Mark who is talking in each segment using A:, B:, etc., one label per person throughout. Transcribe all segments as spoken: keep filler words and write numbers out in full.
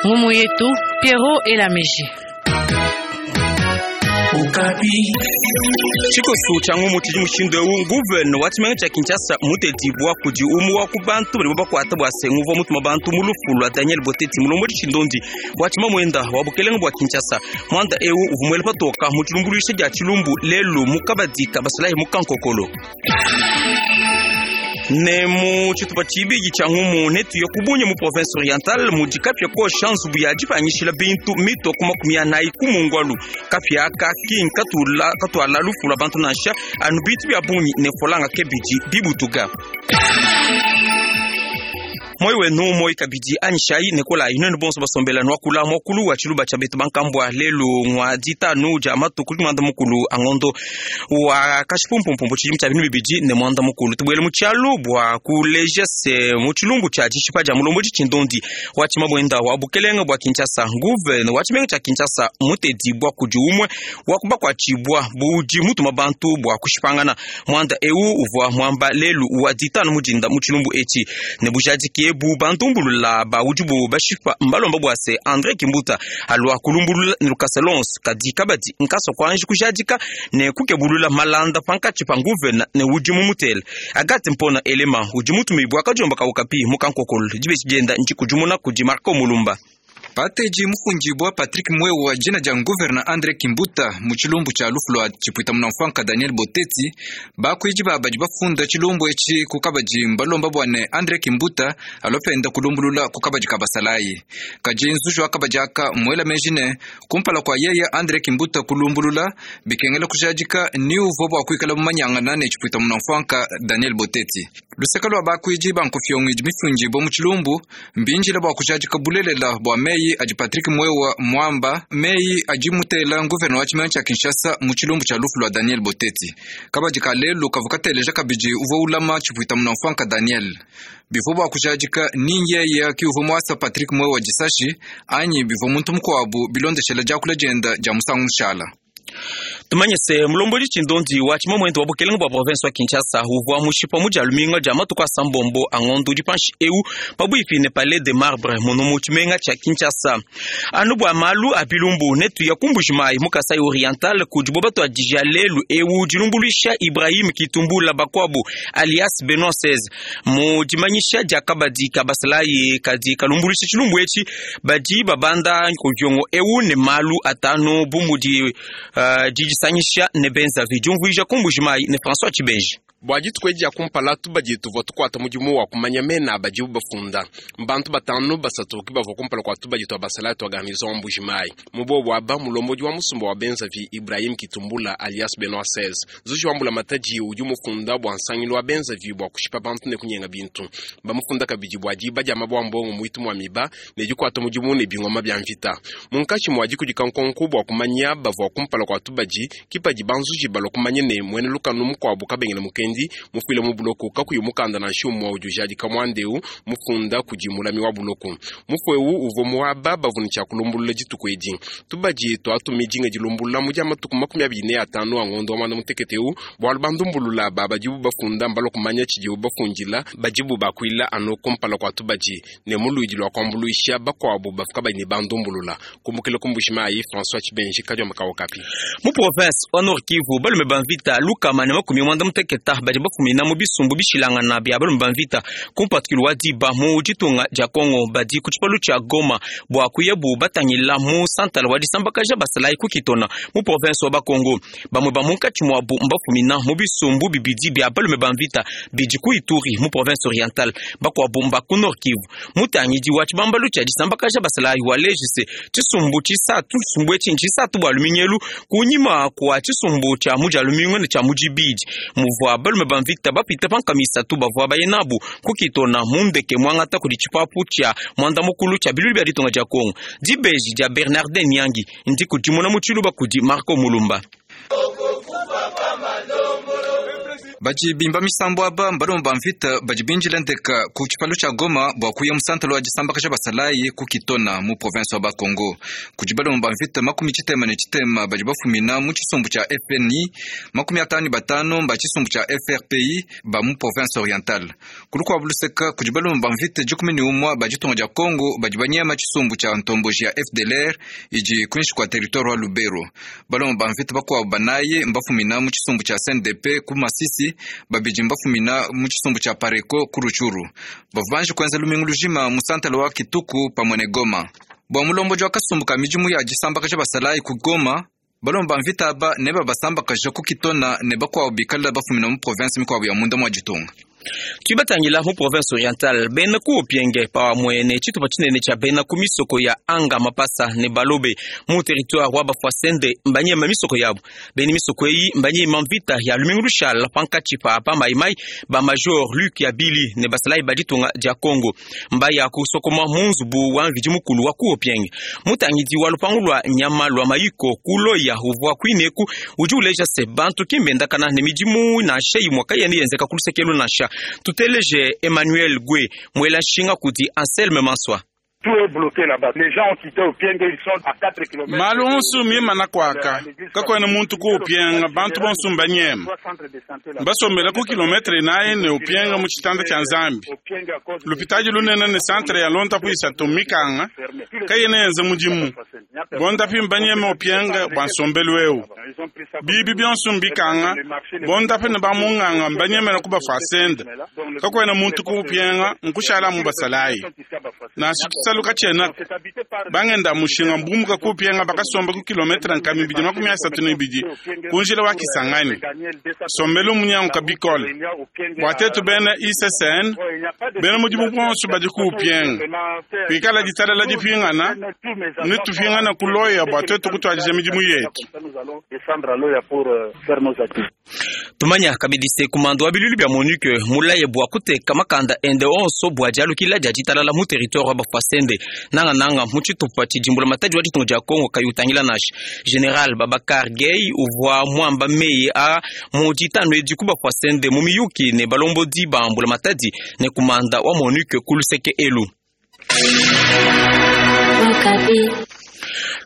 A: Ngumu yetu Pierrot Elameji.
B: Tshikosu tshia ngumu tshidi mushindu eu nguvene wa tshimenga tshia Kinshasa mutetibua kudi umue wa ku bantu badibo bakuata bua se nguvua mutuma bantu mu lufu lua Daniel Boteti mulombodi tshindondi wa tshimamuenda wa bukelenge bua Kinshasa. Muanda eu uvua muele patoka mu tshilumbuluisha dia tshilumbu lelu mu kabadi ka basalayi mu Kankokolo. Ne mu tshitupa tshibidi tshia ngumu netuye kubunye mu province orientale mudi kapia kosha nzubu ya dipanyishila bintu mito ku makumi anayi ku mungwalu. Kapia aka ki nkatula katuala lufu lua bantu nansha anu bintu bia bungi ne folanga ke bidi bibutuka. Moi wenu moi kabidi anyishayi nekolayi nwenu bonso basombela nwakula mwakulu wa tshiluba tshia betu bankambua lelu ngwa ditanu dia matuku mwanda mukulu angondo wa kashipumpumpu tshidimu tshia binu bibidi ne mwanda mukulu tubuele mu tshialu bua kuleja se mu tshilumbu tshia dishipa dia mulombodi tshindondi wa tshimabwenda wa bukelenge bua Kinshasa nguvene wa tshimenga tshia Kinshasa mutedibua kudi umue wa kubakuatshibua budi mutuma bantu bua kushipangana. Mwanda eu uvua mwamba lelu wa ditanu mudinda mu tshilumbu etshi ne bujadiki bu bantumbulula ba udibu bashipa mbalomba bua se André Kimbuta alua kulumbulula ne lukasa lonso kadi kabadi nkasa kwanji kujadika ne kukebulula malanda pankatshi pa nguvena ne udi mumutele. Agathe Mpona Elema udi mutumibua kadiomba kaukapi mukankokolo dibeshi dienda ndikudimuna kudi Marco Mulumba.
C: Pateji mufundibwa Patrick Mwewa jina dia gouverneur André Kimbuta mu tshilumbu tshia lufu lua tshipuita munamfwanka Daniel Boteti bakuidi babadi bafunda tshilumbu etshi ku kabadi mbalomba bua ne André Kimbuta alopenda kulumbulula ku kabadi ka basalayi. Kadi nzuji wa kabadi aka muela meji ne kumpala kua yeye André Kimbuta kulumbulula bikengela kujadika ni uvua bua kuikala mumanyangana ne tshipuita munamfwanka Daniel Boteti. Luseka lua bakuidi bankufyongo idi mifundibwa mu tshilumbu mbinjila bua kujadika bulelela bua meyi adi Patrick Mwewa mwamba meyi adi mutela gouverneur wa tshimenga tshia Kinshasa mu tshilumbu tshia lufu lua Daniel Boteti. Kabadi ka lelu kavua kateleja kabidi uvua ulama tshipuita munamfwanka Daniel. Bivua bua kujadika ni yeye ki uvua muasa Patrick Mwewa disashi anyi bivua muntu mukuabu bilondeshela diakula dienda dia musangu mushala.
B: Tumanye se mulombodi tshindondi wa tshimamwendo wa bukelenge bua province wa Kinshasa uvua mushipa mu dia luminga dia matuku asambombo angondo udi panshi eu pabuipi ne palais de marbre muno mu tshimenga tshia Kinshasa. Anu bua malu a bilumbu netuya ku Mbujimayi mu Kasai Oriental kudibo batuadija lelu eu dilumbuluisha Ibrahim Kitumbula bakuabu alias Benoit seize mu dimanyisha dia kabadi ka basalayi kadi kalumbuluisha tshilumbu etshi badi babanda nkoviongo eu ne malu atanu bu mudi uh, didisangisha ne benzavi diumvuija ku Mbujimayi ne François Tshibenji.
D: Bua dituku edi dia kumpala tubadi tuvua tukuata mudimu wa kumanya mena badibu bafunda. Bantu batanu basatu ke bavua kumpala kua tubadi tua basalayi tua garnison wa Mbujimayi. Mu bobu aba mulombodi wa musumba wa benzavi Ibrahim Kitumbula alias Benoit seize. Zuji wa mbulamatadi udi mufunda bua nsangilu wa benzavi bua kushipa bantu ne kunyenga bintu. Bamufunda kabidi bua diba dia mabua mbongo muitu mua miba ne dikuata mudimu ne bingoma bia mvita. Munkatshi mua dikudika nkonko bua kumanya bavua kumpala kua tubadi kipadi banzuji balua kumanya ne muena lukanu mukuabu kabengele mukendi mufuile mu buloko kakuyi mukanda nansha umue udi ujadika muandeu mufunda kudi mulami wa buloko. Mufu eu uvua muaba bavua ne tshia kulumbulula dituku edi. Tubadi tuatumi dinga dilumbulula mu dia matuku makumi abidi ne atanu a ngondo wa mwanda mutekete eu bualu bandumbulula ba badibu bafunda mbalua kumanya tshidibu bafundila badibu bakuila anu kumpala kua tubadi ne muluidi lua kuambuluisha bakuabu bafuka badi ne bandumbulula. Kumbukila ku Mbujimayi, François Tshibenji kadiomba ka Okapi.
B: Mu province wa Nord Kivu balume ba mvita lukama ne makumi mwanda muteketa badi bafumina mu bisumbu bishilangana bia balume ba mvita ku mpatukilu wa diba mu ditunga dia Kongo badi ku tshipalu tshia Goma bua kuyabu batangila mu santala wa disambakaja basalayi ku Kitona mu province wa Bakongo. Bamue ba munkatshi muabu mbafumina mu bisumbu bibidi bia balume ba mvita bidi ku Ituri mu province orientale, bakuabu mba ku Nord Kivu. Mutangidi wa tshibambalu tshia disambakaja basalayi wa lejise tshisumbu tshisatu tshisumbu etshi ntshisatu bua luminyelu kunyima kua tshisumbu tshia mu dia lumingu ne tshia mu dibidi muvua balume ba mvita bapita pankamisatu bavua baye nabu ku Kitona mu ndeke mwangata kudi tshipapu tshia mwanda mukulu tshia bilulu bia ditunga dia Kongo. Dibeji dia Bernardin Nyangi ndi kudimuna mu tshiluba kudi Marco Mulumba.
C: Badi bimba misambu aba mbalomba ba mvita badi binjila ndeka ku tshipalu tshia Goma bua kuya mu santalo wa disambakaja basalayi ku Kitona mu province wa Bakongo. Kudi balomba ba mvita makumi tshitema ne tshitema badi bafumina mu tshisumbu tshia F N I, makumi atanu ne batanu mba tshisumbu tshia F R P I ba mu province orientale. Kulukuabu luseka kudi balomba ba mvita dikumi ne umua ba ditunga dia Kongo badi banyema tshisumbu tshia ntomboji ya F D L R idi kuinshi kua territoire wa Lubero. Balomba ba mvita bakuabu banayi mbafumina mu tshisumbu tshia C N D P ku Masisi, babidi mbafumina mu tshisumbu tshia Pareko ku Rutshuru. Bavanje kwenza lumingu lujima mu santalo wa Kituku pamwe ne Goma. Bua mulomboji wa kasumbu ka midimu ya disambakaja basalayi ku Goma, balomba mvita aba ne babasambakaja ku Kitona ne bakuabu bikala bafumina mu province mikuabu ya munda mwa ditunga.
B: Tuibatangila mu province orientale bena ku Opienge pamwe ne tshitupa tshinene tshia bena ku misoko ya Anga Mapasa ne Balobe mu territoire wa Bafwasende mbanyema misoko yabo. Beni misoko eyi mbanyema mvita ya lumingu lushala pankatshi pa pa maimai ba major Luc Yabili ne basalayi ba ditunga dia Congo mbaya kusokoma mu nzubu wa mvidi mukulu wa ku Opienge. Mutangidi wa lupangu lwa nyama lwa mayiko kuloya uvwa kwineku udi uleja se bantu kimbendakana ne midimu nansha imwe kayeni yenzeka ku lusekelo nansha. Tuteleje Emmanuel Gwe mwela nshinga kudi Anselme Manswa.
E: Tout est bloqué là-bas. Les gens ont quitté Opienge, ils sont à quatre kilomètres.
F: Malu onso mimana kwaka. Kakwena muntu ku Opienge, bantu bonso mbanyema. Basombela ku kilometre naye ne Opienge mu tshitanda tshia Nzambi. Lupitaji lunene ne centre ya lonta kuisatu mikanga. Kayene yenze mudimu. Bonda pi mbanyema Opienge bwa nsombelu eu. Bibi bionso mbikanga. Bonda pi ne bamunganga mbanyemela ku bafasende. Kakwena muntu ku Opienge nkushala mu basalayi. Na saluka tshena bangenda mushinga mbumuka kupienga bakasomba ku kilometre nkami bidi makumi asatu ne bidi kunjila wa Kisangani sombelu munyangu kabikole bwatetu bena I C S N bena mudimu bonso badi kupienga kwikala ditalala dipingana ne tupingana kuloya bwatetu kutwadija midimu yetu.
B: Tumanya kabidi se kumando wa bilulu bya MONUC mulaye bwa kuteka makanda ende onso bwa dialukila dia ditalala mu territoire wa Bafwasende nanga nanga mu tshitupa tshidimbula matadi wa ditunga dia Kongo kayutangila nashi. General Babakar Gay uvwa mwamba meyi a mu ditanu edi ku Bafwasende mu miyuki ne balombodi ba mbula matadi ne kumanda wa MONUC ku luseke elu.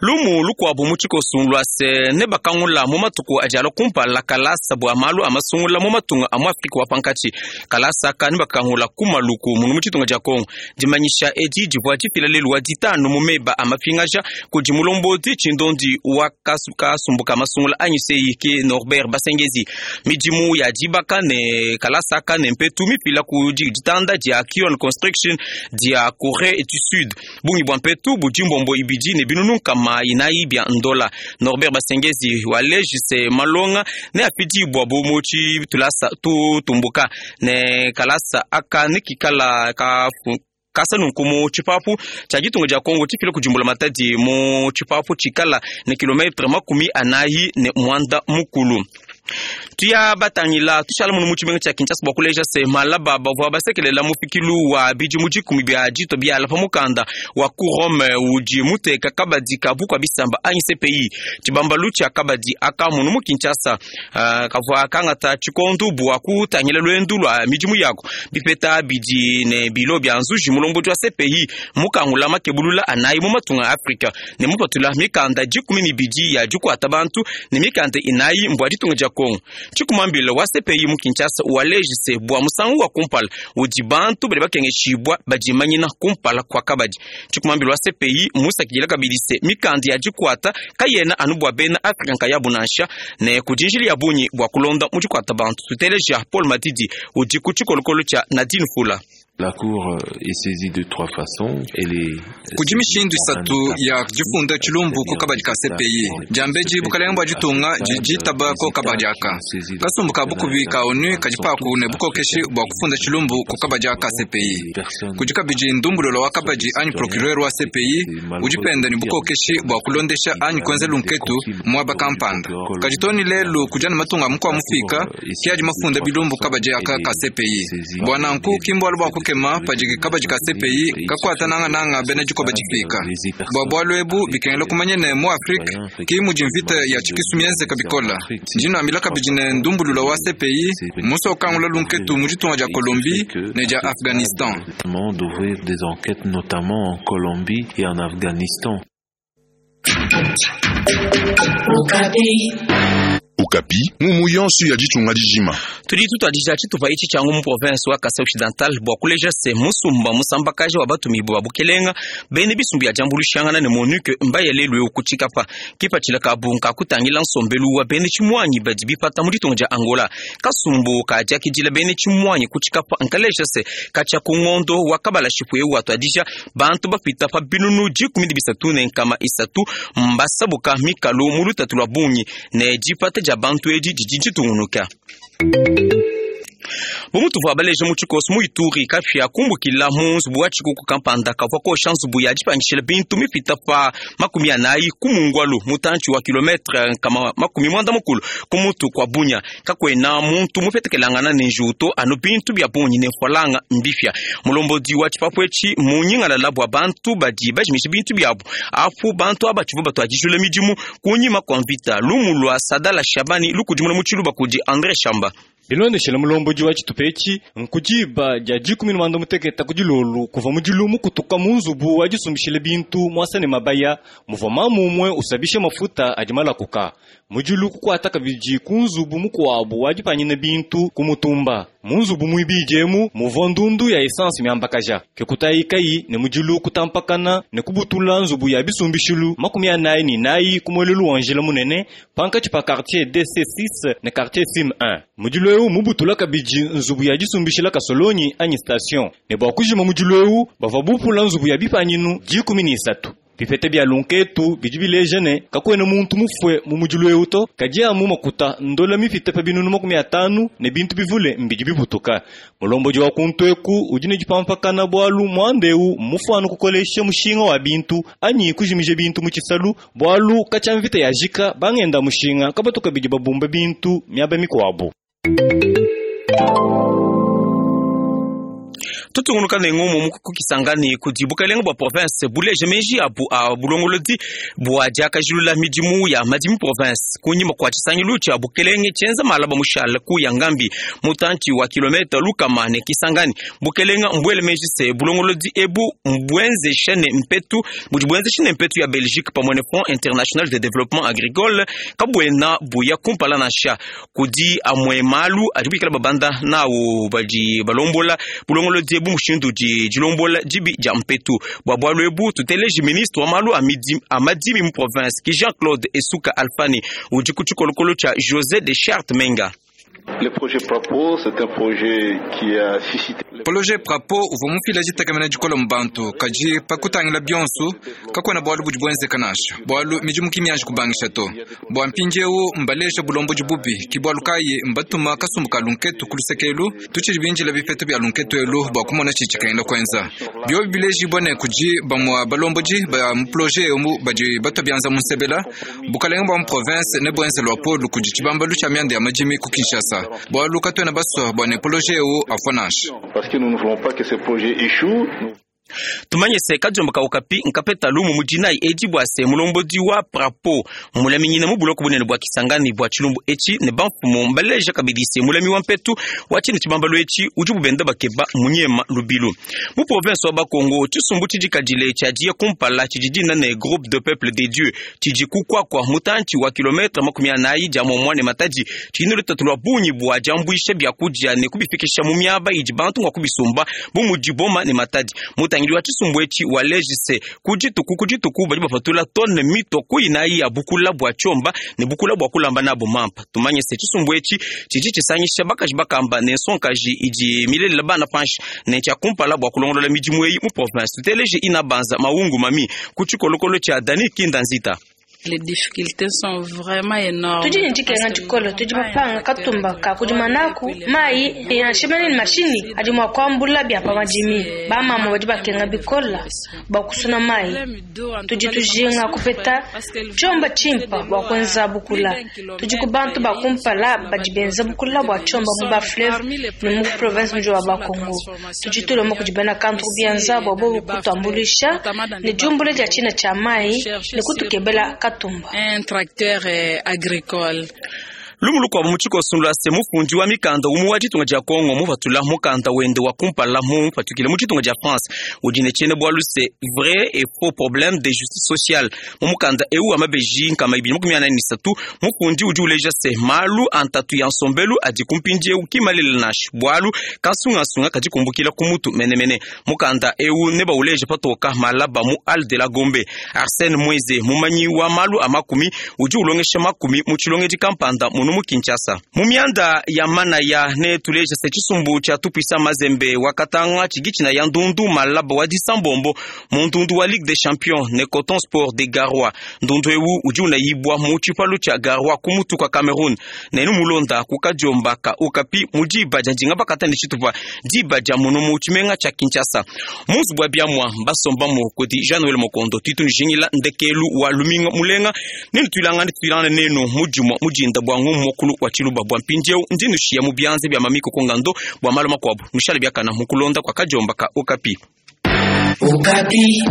B: Lumu lukuabu mu tshikosu lua se ne bakangula mu matuku adi alua kumpala kalasa bua malu a masungula mu matunga a mu Afrika wa pankatshi. Kalasa aka ne bakangula ku Maluku munu mu tshitunga dia Kongo. Dimanyisha edi divua difila lelu wa ditanu mu meba a mapingaja kudi mulombodi tshindondi wa kasumbuka masungula anyi Seiki Norbert Basengezi. Midimu ya dibaka ne kalasa aka ne mpetu mifila ku ditanda dia Kion Construction dia Corée du Sud. Bungi bua mpetu budi mbombo ibidi ne binunu kama inayi bya ndola. Norbert Basengezi waleji se malonga ne apidi bwa bomo tshi tulasa tu tumbuka ne kalasa aka ne kikala ka kasa nunku mu tshipapu tshia ditunga dia Kongo tshifile kudimbula matadi mu tshipapu tshikala ne kilometre makumi anayi ne mwanda mukulu. Tuya batangila tushala munu mu tshimenga tshia Kinshasa bua kuleja se malaba bavua basekelela mufikilu wa bidimu dikumi bia dito biala pa mukanda wa ku Rome udi muteka kabadi ka bukua bisamba anyi C P I. Tshibambalu tshia kabadi aka munu mu Kinshasa, uh, kavua kangata tshikondu bua kutangila luendu lua midimu yako bipeta bidi ne bilo bia nzuji mulombodi wa C P I mukangula makebulula anayi mu matunga a Afrika ne mupatula mikanda dikumi ne bidi ya dikuata bantu ne mikanda inayi mbua ditunga dia Kongo. Tshikumambila wa C P I mu Kinshasa walejise bua musangu wa kumpala udi bantu badi bakengeshibwa badimanyina kumpala kwa kabadi. Tshikumambila wa C P I musakidila kabidi se mikanda ya dikuata kayena anu bua bena Afrika nkayabu nansha ne kudinjili ya bunyi bua kulonda mu dikuata bantu. Tuteleja Paul Matidi udi ku tshikolokolo tshia Nadine Fula.
G: La cour est saisie de trois façons. Elle est
C: kudi mishindu isatu ya difunda tshilumbu ku kabadi ka C P I. Diambeji bukalenga bua ditunga didi ko kabadi aka. Kasumbu ka bukubi ka ONU kadi paku ne bukokeshi bua kufunda tshilumbu ku kabadi aka C P I. Kudi kabidi ndumbulolo wa kabadi anyi procureur wa C P I udi penda ne bukokeshi bua kulondesha anyi kuenza lunketu muaba kampanda. Kadi toni lelu kudi anu matunga mukua mufika kiadi mafunda bilumbu kabadi aka ka C P I. Bua nanku kimbwalu bua kukema padi kabadi ka C P I kakuata nangananga bena dikoba difika. Bua bualu ebu bikengela kumanya ne mu Afrika ki mudi mvita ya tshikisu mienzeka bikola. Ndi nuambila kabidi ne ndumbulula wa C P I muso ukangula lunketu mu ditunga dia Colombie ne dia Afghanistan.
G: D'ouvrir des enquêtes notamment en Colombie et en Afghanistan.
H: Okapi mumu yonso ya ditunga dijima
B: tudi tutwadija tshitupa itshi tshiangu mu province wa Kasai Occidental bua kuleja se musumba musambakaji wa batumibu ba bukelenga bene bisumbu ya diambuluishangana ne MONUC mbaye lelu eu kutshikapa kipatshila kabu nkakutangila nsombelu wa bene tshimwanyi badi bipata mu ditunga dia Angola. Kasumbu kadiakidila bene tshimwanyi kutshikapa nkaleja se katshia ku ngondo wa kabala shipu eu watwadija bantu bapita pa binunu dikumi ne bisatu ne nkama isatu mbasabuka mikalu mu lutatu lua bungi ne dipata dia bantu edi didi ditungunuka. Bumutu vua baleja mu tshikoso mu Ituri kapia kumbukila mu nzubu wa tshikuku kampanda kavua kosha nzubu ya dipangishila bintu mipita pa makumi anayi ku mungwalu mutantshi wa kilometre nkama makumi mwanda mukulu ku mutu kwa Bunya. Kakwena muntu mupetekelangana ne njuto anu bintu bia bunyi ne mfualanga mbifya. Mulombodi wa tshipapu etshi munyingalala bua bantu badi bajimisha bintu biabu apu bantu aba tshivua batuadijula midimu kunyima kwa mvita. Lumu lua Sadala Shabani lukudimuna mu tshiluba kudi André Shamba.
I: Bilondeshela mulombodi wa tshitupa etshi nkudiba dia dikumi ne mwanda muteketa ku dilolo kuva mu dilumu kutuka mu nzubu wa disumbishila bintu muasa ne mabaya muvua mamu umue usabisha mafuta adi malakuka mudilu kukuata kabidi ku nzubu mukuabu wa dipanyina bintu ku mutumba mu nzubu muibidi emu muvua ndundu ya essence miambakaja kekutayi ne mudilu kutampakana ne kubutula nzubu ya bisumbishilu makumi anayi ne nayi ku muelelu wa njila munene pankatshi pa quartier D C six ne quartier Sim un. Mudilu eu mubutula kabidi nzubu ya disumbishila kasolonyi anyi station ne bua kujima mudilu eu bavua bupula nzubu ya bipanyinu dikumi ne isatu. Bipete bia lunketu bidi bileja ne kakwena muntu mufue mu mudilu eu to kadi amu makuta ndola mipite pa binunu makumi atanu ne bintu bivule mbidi bibutuka. Mulombodi wa kuntu eku udi ne dipampakana bualu muanda eu mufuanu kukolesha mushinga wa bintu anyi kujimija bintu mu tshisalu bualu katshia mvita yajika bangenda mushinga kabatuka bidi babumba bintu miaba mikuabu.
B: Tutungunuka ne ngomo mu kukisangani kudi bukalenga bua province buleje meji abu a bulongolodi bua diakajilula midimu ya madimi province kunyima kua tshisangilu tshia bukelenge tshienza malaba mushala ku ya ngambi mutantshi wa kilomita lukama ne Kisangani. Bukelenga mbuele meji se bulongolodi ebu mbuenzesha ne mpetu budi buenzesha ne mpetu ya Belgique pamue ne Fonds international de développement agricole kabuena buya kumpala nansha kudi amwe malu adi bikala babanda nawo badi balombola bulongolodi ebu mushindu di dilombola dibi dia mpetu bua bualu ebu tuteleji ministre wa malu a madimi mu province ki Jean-Claude Esuka Alfani udi ku tshikolokolo tshia José de Charte Menga.
J: Le projet Prapo, c'est un projet qui a suscité.
C: Projet Prapo uvua mufila ditakamena dikola mu bantu kadi pakutangila bionso kakuena bualu budi buenzeka nansha bualu midimu ki mianji kubangisha to bua mpindieu mbalesha bulombodi bubi ki bualu kayi mbatuma kasumbu ka lunketu ku lusekelu tutshidi binjila bipeta bia lunketu elu bua kumona tshidi tshikengela kuenza biobi bilejibua ne kudi bamua balombodi ba mu projet emu badi batua bianza mu nsebela bukalenga bua mu province ne buenze lua polu kudi tshibambalu tshia mianda ya madimi ku Kinshasa bualu katuena basua bua ne projet eu afua nansha.
J: Parce que nous ne voulons pas que ce projet échoue.
B: Tumanye se kadiomba ka Okapi nkapeta lumu mudinayi edi bua se mulombodi wa Prapo mulaminyina mu buloko bunene bua Kisangani bua tshilumbu etshi ne bamfumu mbaleja kabidi se mulami wa mpetu wa tshine tshibambalo etshi udi bubenda bakeba munyema lubilu mu province wa Bakongo. Tshisumbu tshidikadile tshiadia kumpala tshidi dina ne groupe de peuple de Dieu tshidi kukwakwa mutantshi wa kilometre makumi anayi dia momua ne Matadi tshidi lutatu lua bungi bua diambuisha biakudia ne kubifikisha mu miaba idi bantu ngua kubisumba bu mudi Boma ne Matadi. Mutangili wa tshisumbu etshi wa lejise kudituku kudituku badi bapatula tonne mito kuinayi ya bukula bua tshiomba ne bukula bua kulamba nabo mampa. Tumanye se tshisumbu etshi tshidi tshisangisha bakaji bakamba ne nsonkaji idi milelela bana panshi ne tshia kumpala bua kulongolola midimu eyi mu province. Tuteleje ina banza maungu mami ku tshikolokolo tshia Dani Kinda Nzita.
K: Les difficultés sont vraiment énormes.
L: Tudi ne dikenga dikole, tudi bapanga katumba ka kudima naku mayi yanshimene ne mashini adi mua kuambula bia pa madimi. Bamama badi bakenga bikola bua kusuna mayi. Tudi tujinga kupeta tshiomba tshimpa bua kuenza bukula. Tudi ku bantu ba kumpala badi benza bukula bua tshiomba mu ba fleuve ne mu province muji wa Bakongo. Tudi tulomba kudi bena kantu kubianza bua bobu kutuambuluisha ne diumbula dia tshina tshia mayi ne kutukebela katumba.
K: Un tracteur eh, agricole.
B: Lumu lukuabu mu tshikoso lua se mufundi wa mikanda umu wa ditunga dia Kongo muvatula mukanda wende wa kumpala mupatukile mu ditunga dia France udi ne tshiena bualu se vrai et faux problème de justice sociale. Mu mukanda eu wa mabeji nkama ibidi makumi anayi ne isatu mufundi udi uleja se malu a ntatu ya nsombelu adi kumpindiewu kimalela nansha bualu kansungasunga kadi kumbukila ku mutu menemene. Mukanda eu ne bauleja patoka malaba mu Al de la Gombe. Arsène Mweze mumanyi wa malu a makumi udi ulongesha makumi mu tshilongedi kampanda munu mu Kinshasa. Mu mianda ya manaya ne tuleja se tshisumbu tshia tupisa Mazembe wakatanga tshigitshina ya ndundu malaba wa disambombo mu ndundu wa Ligue des Champions ne Coton Sport de Garoua. Ndundu ewu udi unayibwa mu tshipalu tshia Garoua ku mutu kwa Cameroun. Nenu mulonda ku kadiomba ka Okapi mu diba dia ndinga bakata ne tshitupa diba dia munu mu tshimenga tshia Kinshasa. Mu nzubu wa biamua basomba mu kudi Jean Noël Mokondo titu njingila ndekelu wa luminga mulenga nenu tuilangane tuilangane nenu mudimua mudinda bua ngumu mokulu wa tshiluba bua mpindieu ndi nushiya mu bianze bia mamiko kongando bua malu makuabu nushale biakana mukulonda kwa kadiomba ka Okapi.
M: Okapi.